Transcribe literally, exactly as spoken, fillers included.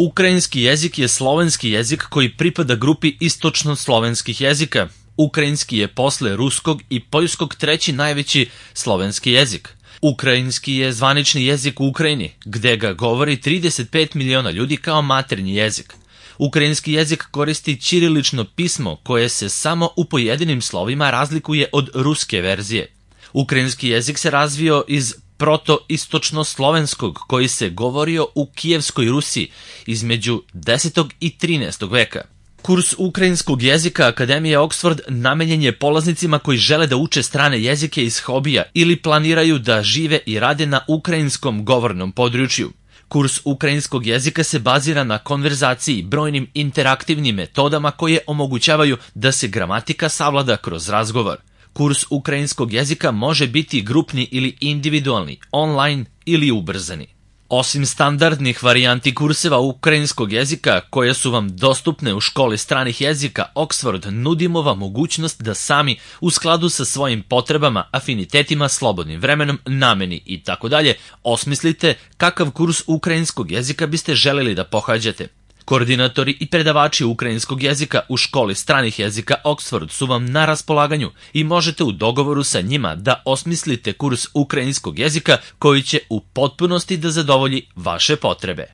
Ukrajinski jezik je slovenski jezik koji pripada grupi istočno-slovenskih jezika. Ukrajinski je posle ruskog i poljskog treći najveći slovenski jezik. Ukrajinski je zvanični jezik u Ukrajini, gde ga govori trideset pet miliona ljudi kao maternji jezik. Ukrajinski jezik koristi ćirilično pismo koje se samo u pojedinim slovima razlikuje od ruske verzije. Ukrajinski jezik se razvio iz proto-istočno-slovenskog koji se govorio u Kijevskoj Rusiji između desetog i trinaestog veka. Kurs ukrajinskog jezika Akademije Oxford namenjen je polaznicima koji žele da uče strane jezike iz hobija ili planiraju da žive i rade na ukrajinskom govornom području. Kurs ukrajinskog jezika se bazira na konverzaciji, brojnim interaktivnim metodama koje omogućavaju da se gramatika savlada kroz razgovor. Kurs ukrajinskog jezika može biti grupni ili individualni, online ili ubrzani. Osim standardnih varijanti kurseva ukrajinskog jezika koje su vam dostupne u školi stranih jezika Oxford, nudimo vam mogućnost da sami u skladu sa svojim potrebama, afinitetima, slobodnim vremenom, nameni itd. osmislite kakav kurs ukrajinskog jezika biste želeli da pohađate. Koordinatori i predavači ukrajinskog jezika u školi stranih jezika Oxford su vam na raspolaganju i možete u dogovoru sa njima da osmislite kurs ukrajinskog jezika koji će u potpunosti da zadovolji vaše potrebe.